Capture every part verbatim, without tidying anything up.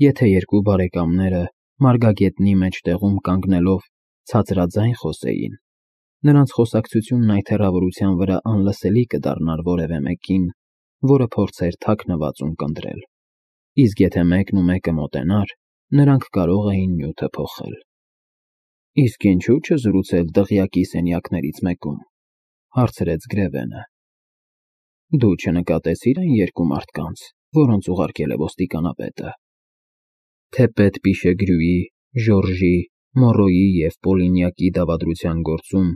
Եթե երկու բարեկամները մարգագետնի մեջտեղում կանգնելով ցածրաձայն խոսեին, նրանց խոսակցությունն այդ հեռավորության վրա անլսելի կդառնար որևէ մեկին, որը փորձեր թաքնված ունկնդրել, իսկ եթե մեկն ու մեկը մոտենար, նրանք կարող էին նյութը փոխել։ Իսկ ինչու՞ չզրուցել դղյակի սենյակներից մեկում, հարցրեց Գրևենը։ Դու չնկատեցի՞ր այն երկու մարդկանց, որոնց ուղարկել է ոստիկանապետը։ Թե պետ Պիշեգրյուի, Ժորժի, Մորոյի և Պոլինյակի դավադրության գործում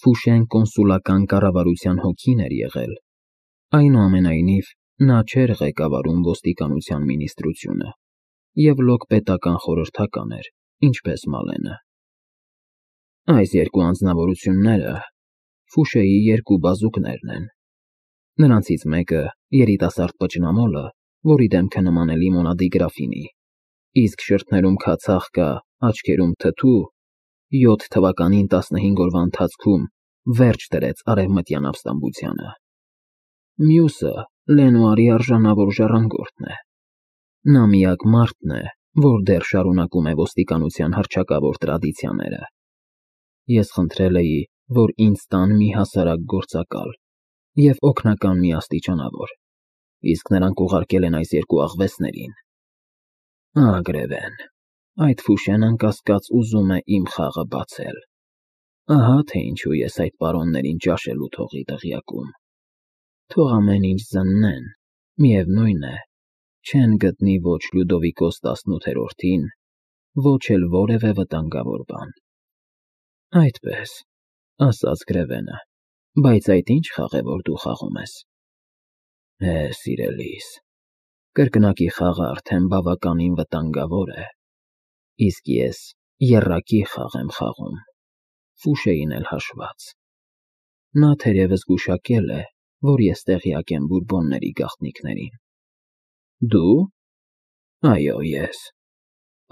Ֆուշեն կոնսուլական կառավարության հոգին էր եղել, այնուամենայնիվ նա չէր ղեկավարում ոստիկանության մինիստրությունը և լոկ պետական խորհրդական էր, ինչպես Մալենը։ Այս երկու անձնավորությունները Ֆուշեի երկու բազուկներն են։ Նրանցից մեկը երիտասարդ պճնամոլը, որի դեմքը նման է լիմոնադի գրաֆինի, իսկ շրթներում քացախ կա, աչքերում թթու, յոթ թվականին տասնհինգ օրվա ընթացքում վերջ դրեց արևմտյան ապստամբությանը։ Մյուսը Լենուարի արժանավոր ժառանգորդն է։ Նա միակ մարդն է, որ դեռ շարունակում է ոստիկանության հռչակավոր տրադիցիաները։ Ես խնդրել էի, որ ինձ տան մի հասարակ գործակալ և օգնական մի աստիճանավոր, իսկ նրանք ուղարկել են այս երկու աղվեսներին։ Ագրևեն, այդ Ֆուշեն անկասկած ուզում է իմ խաղը բացել։ Ահա թե ինչու ես այդ պարոններին ճաշելու թողի դղյակում։ Թող ամեն ինչ զննեն, միևնույն է, չեն գտնի ոչ Լյուդովիկոս տասնութերորդին, ոչ էլ որևէ վտանգավոր բան։ Այդպես, ասաց Գրևենը, բայց այդ ի՞նչ խաղ է, որ դու խաղում ես։ Է, սիրելիս, կրկնակի խաղը արդեն բավականին վտանգավոր է, իսկ ես եռակի խաղ եմ խաղում, Ֆուշեին էլ հաշված։ Նա թերևս գուշակել է, որ ես տեղյակ եմ Բուրբոնների գաղտնիքներին։ Դու։ Այո, ես,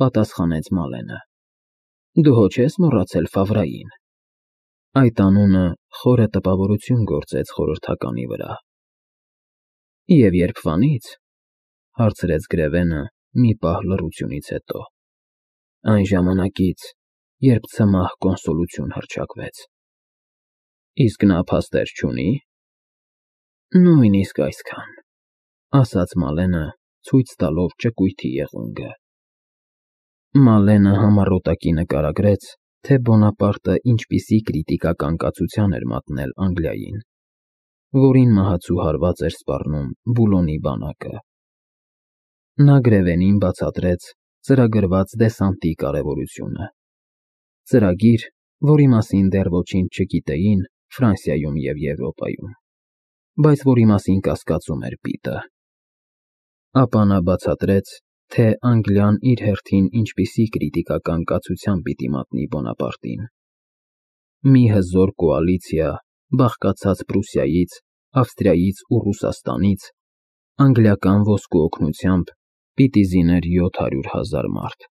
պատասխանեց Մալենը։ Դու հո չես մոռացել Ֆավրային։ Այդ անունը խորը տպավորություն գործեց խորհրդականի վրա։ Եվ երբվանից, հարցրեց Գրևենը մի պահ լռությունից հետո։ Այն ժամանակից, երբ ցմահ կոնսոլություն հռչակվեց։ Իսկ նա փաստեր չունի։ Նույնիսկ այսքան, ասաց Մալենը, ցույց տալով ճկույթի եղունգը։ Մալենը համառոտակի նկարագրեց, թե Բոնապարտը ինչպիսի կրիտիկական կացության էր մատնել Անգլիային, որին մահացու հարված էր սպառնում Բուլոնի բանակը։ Նա Գրևենին բացատրեց ծրագրված դեսանտի կարևորությունը։ Ծրագիր, որի մասին դեռ ոչինչ չգիտեին Ֆրանսիայում և Եվրոպայում, բայց որի մասին կասկածում էր Պիտը։ Ապա նա բացատրեց, թե Անգլիան իր հերթին ինչպիսի կրիտիկական կացության պիտի մատնի Բոնապարտին։ Մի հզոր կոալիցիա, բաղկացած Պրուսիայից, Ավստրիայից ու Ռուսաստանից, անգլիական ոսկու օգնությամբ պիտի զիներ յոթ հարյուր հազար մարդ։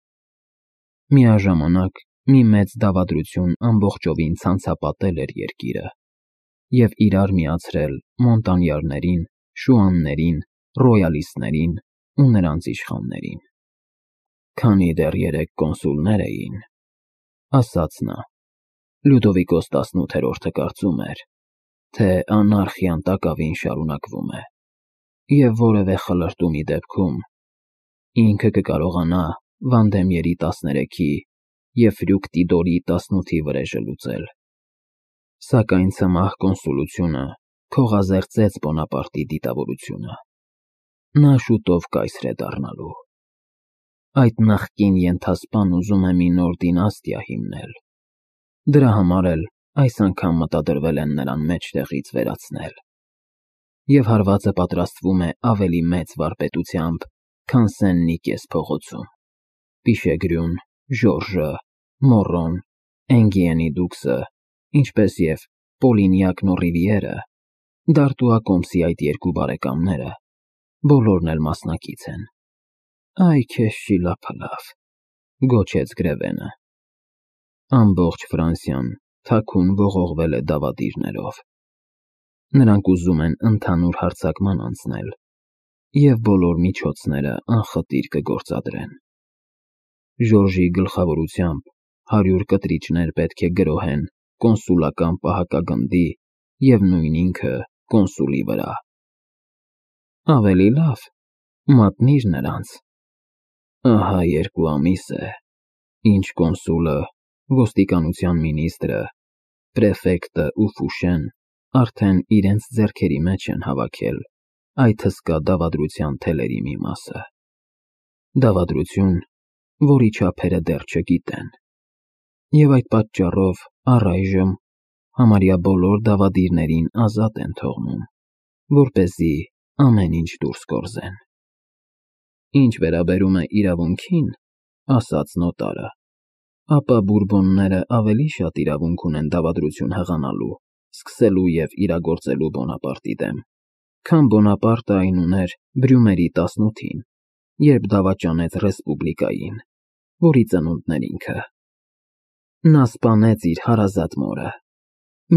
Միաժամանակ մի մեծ դավադրություն ամբողջովին ցանցապատել էր երկիրը և իրար միացրել մոնտանյարներին, շուաններին, ռոյալիստներին ու նրանց իշխաններին։ Քանի դեռ երեք կոնսուլներ էին, ասաց նա, Լյուդովիկոս տասնութերորդը կարծում էր, թե անարխիան տակավին շարունակվում է, և որևէ խլրտումի դեպքում ինքը կկարողանա Վանդեմյերի տասներեքի և Ֆրյուկտիդորի տասնութի վրեժը լուծել։ Սակայն ցմահ կոնսուլությունը քողազերծեց Բոնապարտի դիտավորությունը։ Նա շուտով կայսր է դառնալու։ Այդ նախկին ենթասպան ուզում է մի նոր դինաստիա հիմնել։ Դրա համար էլ այս անգամ մտադրվել են նրան մեջտեղից վերացնել։ Եվ հարվածը պատրաստվում է ավելի մեծ վարպետությամբ, քան Սեն-Նիկես փողոցում։ Պիշեգրյուն, Ժորժը, Մորոն, Էնգիենի դուքսը, ինչպես և Պոլինյակն ու Ռիվիերը, Դարտուա կոմսի այդ երկու բարեկամները, բոլորն էլ մասնակից են։ Այ քեզ շիլափլավ, գոչեց Գրևենը։ Ամբողջ Ֆրանսիան թաքուն ողողվել է դավադիրներով։ Նրանք ուզում են ընդհանուր հարձակման անցնել և բոլոր միջոցները անխտիր կգործադրեն։ Ժորժի գլխավորությամբ հարյուր կտրիչներ պետք է գրոհեն կոնսուլական պահակագնդի և նույն ինքը կոնսուլի վրա։ Ավելի լավ, մատնիր նրանց։ Ահա երկու ամիս է, ինչ կոնսուլը, ոստիկանության մինիստրը, պրեֆեկտը ու Ֆուշեն արդեն իրենց ձեռքերի մեջ են հավաքել այդ հսկա դավադրության թելերի մի մասը։ Դավադրություն, որի չափերը դեռ չգիտեն։ Եվ այդ պատճառով առայժմ համարյա բոլոր դավադիրներին ազատ են թողնում, որպեսզի ամեն ինչ դուրս գործեն։ Ինչ վերաբերում է իրավունքին, ասաց նոտարը, ապա բուրբոնները ավելի շատ իրավունք ունեն դավադրություն հղանալու, սկսելու և իրագործելու Բոնապարտի դեմ, քան Բոնապարտը այն ուներ Բրյումերի տասնութին, երբ դավաճանեց Ռեսպուբլիկային, որի ծնունդն էր ինքը։ Նա սպանեց իր հարազատ մորը,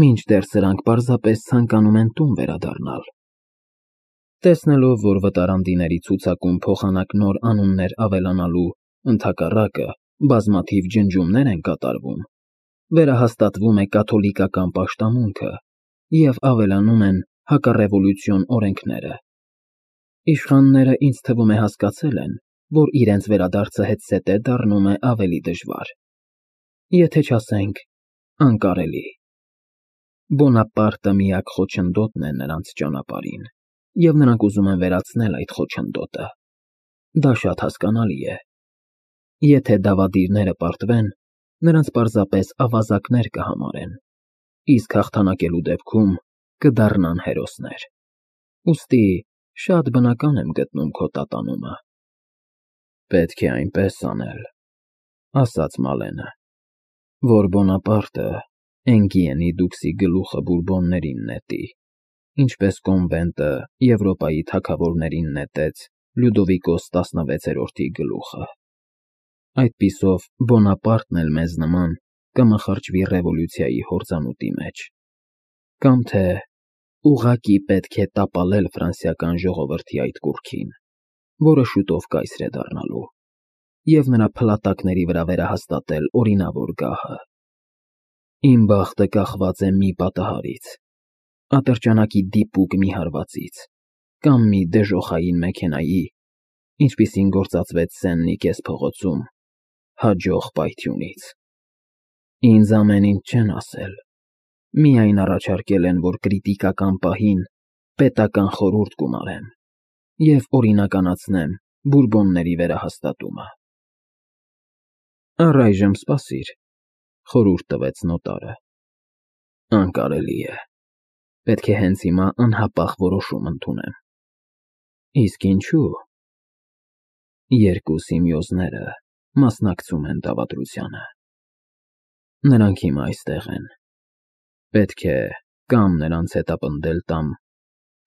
մինչդեռ սրանք պարզապես ցանկանում են տուն վերադառնալ։ Տեսնելով, որ վտարանդիների ցուցակում փոխանակ նոր անուններ ավելանալու, ընդհակառակը, բազմաթիվ ջնջումներ են կատարվում, վերահաստատվում է կաթոլիկական պաշտամունքը և ավելանում են հակառևոլյուցիոն օրենքները։ Իշխանները, ինձ թվում է, հասկացել են, որ իրենց վերադարձը հետզհետե դառնում է ավելի դժվար, եթե չասենք անկարելի։ Բոնապարտը միակ խոչընդոտն է նրանց ճանապարհին, և նրանք ուզում են վերացնել այդ խոչընդոտը։ Դա շատ հասկանալի է։ Եթե դավադիրները պարտվեն, նրանց պարզապես ավազակներ կհամարեն, իսկ հաղթանակելու դեպքում կդառնան հերոսներ։ Ուստի շատ բնական եմ գտնում քո տատանումը։ Պետք է այնպես անել, ասաց Մալենը, որ Բոնապարտը Էնգիենի դուքսի գլուխը բուրբոններին նետի, ինչպես Կոնվենտը Եվրոպայի թագավորներին նետեց Լյուդովիկոս տասնվեցերորդի գլուխը։ Այդպիսով Բոնապարտն էլ մեզ նման կմխրճվի ռևոլյուցիայի հորձանուտի մեջ, կամ թե ուղղակի պետք է տապալել ֆրանսիական ժողովրդի այդ կուռքին, որը շուտով կայսր է դառնալու, և նրա փլատակների վրա վերահաստատել օրինավոր գահը։ Իմ բախտը կախված է մի պատահարից, ատրճանակի դիպուկ մի հարվածից, կամ մի դժոխային մեքենայի, ինչպիսին գործածվեց Սեն-Նիկես փողոցում, հաջող պայթյունից։ Ինձ ամեն ինչ չեն ասել, միայն առաջարկել են, որ կրիտիկական պահին պետական խորհուրդ գումարեմ և օրինականացնեմ բուրբոնների վերահաստատումը։ Առայժմ սպասիր, խորհուրդ տվեց նոտարը։ Անկարելի է, պետք է հենց հիմա անհապաղ որոշում ընդունեմ։ Իսկ ինչու՞։ Երկու Սիմեոզները մասնակցում են դավադրությանը։ Նրանք հիմա այստեղ են։ Պետք է կամ նրանց հետապնդել տամ,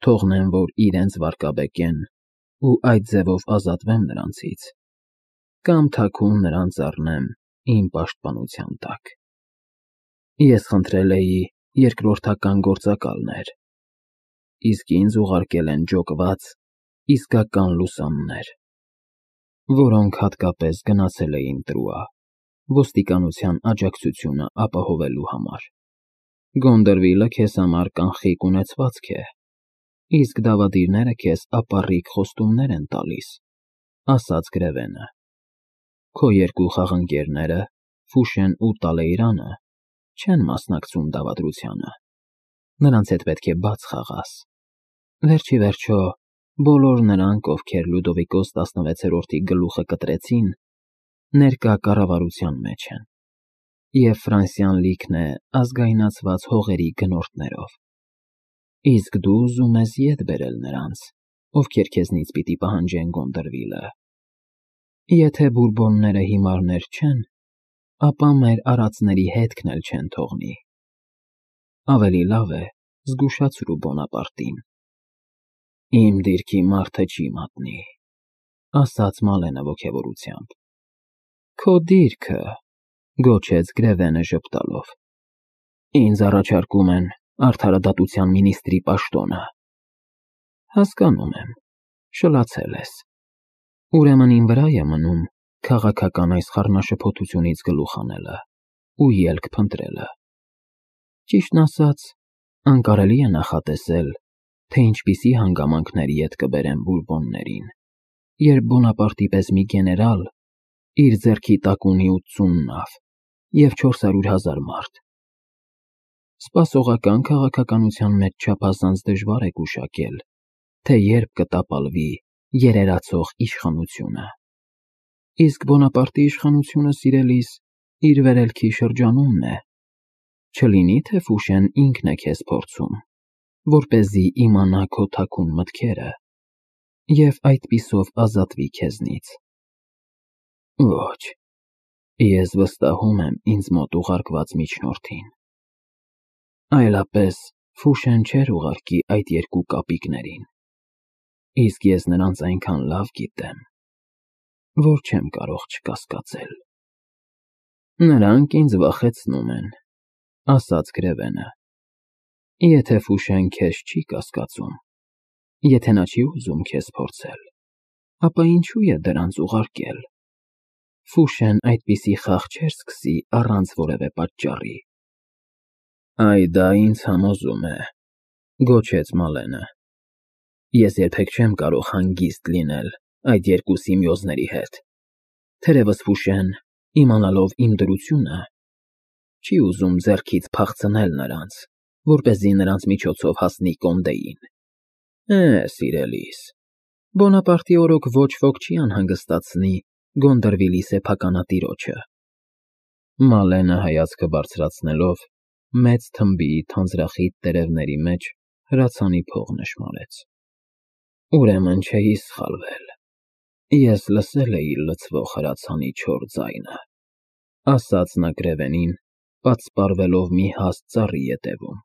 թողնեմ, որ իրենց վարկաբեկեն ու այդ ձևով ազատվեմ նրանցից, կամ թաքուն նրանց առնեմ իմ պաշտպանության տակ։ Ես խնդրել էի երկրորդական գործակալներ, իսկ ինձ ուղարկել են ջոկված, իսկական լուսաններ, որոնք հատկապես գնացել էին Տրուա, ոստիկանության աջակցությունը ապահովելու համար։ Գոնդրվիլը քեզ համար կանխիկ ունեցվածք է, իսկ դավադիրները քեզ ապառիկ խոստումներ են տալիս, ասաց Գրևենը։ Քո երկու խաղընկերները՝ Ֆուշեն ու Տալեյրանը, չեն մասնակցում դավադրությանը։ Նրանց հետ պետք է բաց խաղաս։ Վերջիվերջո, բոլոր նրանք, ովքեր Լյուդովիկոս տասնվեցերորդի գլուխը կտրեցին, ներկա կառավարության մեջ են, և Ֆրանսիան լիքն է ազգայնացված հողերի գնորդներով։ Իսկ դու ուզում ես ետ բերել նրանց, ովքեր քեզնից պիտի պահանջեն Գոնդրվիլը։ Եթե բուրբոնները հիմարներ չեն, ապա մեր արածների հետքն էլ չեն թողնի։ Ավելի լավ է զգուշացրու Բոնապարտին։ Իմ դիրքի մարդը չի մատնի, ասաց Մալենը ոգևորությամբ։ Քո դիրքը, գոչեց Գրևենը ժպտալով։ Ինձ առաջարկում են արդարադատության մինիստրի պաշտոնը։ Հասկանում եմ, Շլացել ես։ Ուրեմն ին վրա է մնում քաղաքական այս խառնաշփոթությունից գլուխ հանելը ու ելք փնտրելը։ Ճիշտն ասած, անկարելի է նախատեսել, թե ինչպիսի հանգամանքների հետ կբերեն Բուրբոններին, երբ Բոնապարտի պես մի գեներալ իր ձեռքի տակ ունի ութսուն նավ և չորսորդ հազար մարդ։ Սպասողական քաղաքականության մեջ չափազանց դժվար է գուշակել, թե երբ կտապալվի երերացող իշխանությունը։ Իսկ Բոնապարտի իշխանությունը, սիրելիս, իր վերելքի շրջանումն է, չլինի թե Ֆուշեն ինքն է քեզ փորձում, որպեսզի իմանա քո թաքուն մտքերը և այդպիսով ազատվի քեզնից։ Ոչ, ես վստահում եմ ինձ մոտ ուղարկված միջնորդին։ Այլապես Ֆուշեն չէր ուղարկի այդ երկու կապիկներին, իսկ ես նրանց այնքան լավ գիտեմ, որ չեմ կարող չկասկածել։ Նրանք ինձ վախեցնում են, ասաց Գրևենը։ Եթե Ֆուշեն քեզ չի կասկածում, եթե նա չի ուզում քեզ փորձել, ապա ինչու է դրանց ուղարկել։ Ֆուշեն այդպիսի խաղ չէր սկսի առանց որևէ պատճառի։ Այ դա ինձ համոզում է, գոչեց Մալենը։ Ես երբեք չեմ կարող հանգիստ լինել այդ երկու սիմիոզների հետ։ Թերևս Ֆուշեն, իմանալով իմ դրությունը, չի ուզում ձեռքից փախցնել նրանց, որպեսզի նրանց միջոցով հասնի Կոնդեին։ Է, սիրելիս, Բոնապարտի օրոք ոչ ոք չի անհանգստացնի Գոնդրվիլի սեփականատիրոջը։ Մալենը հայացքը բարձրացնելով մեծ թմբի թանձրախիտ տերևների մեջ հրացանի փող նշմարեց։ Ուրեմն չէի սխալվել։ Ես լսել էի լցվող հրացանի չոր ձայնը, ասաց նա Գրևենին, պատսպարվելով մի հաստ ծառի ետևում,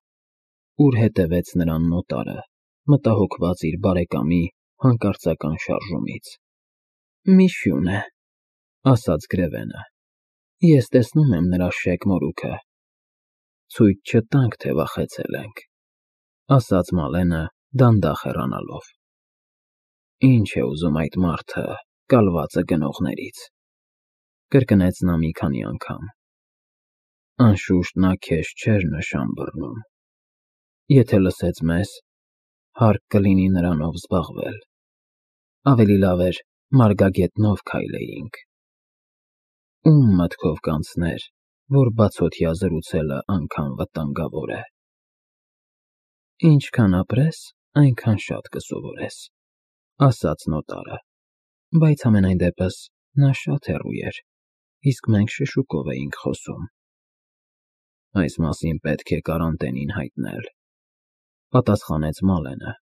ուր հետևեց նրան նոտարը, մտահոգված իր բարեկամի հանկարծական շարժումից։ Մի շուն է, ասաց Գրևենը։ Ես տեսնում եմ նրա շեկ մորուքը։ Ցույց չտանք, թե վախեցել ենք, ասաց Մալենը դանդաղ հեռանալով։ Ինչ է ուզում այդ մարդը կալվածը գնողներից, կրկնեց նա մի քանի անգամ։ Անշուշտ նա քեզ չէր նշան բռնում։ Եթե լսեց մեզ, հարկ կլինի նրանով զբաղվել։ Ավելի լավ էր մարգագետնով քայլեինք։ Ում մտքով կանցներ, որ բացօթյա զրուցելը անգամ վտանգավոր է։ Ինչքան ապրես, այնքան շատ կսովորես, ասաց նոտարը, բայց համենայն դեպս նա շատ հեռու էր, իսկ մենք շշուկով էինք խոսում։ Այս մասին պետք է Կարանտենին հայտնել, պատասխանեց Մալենը։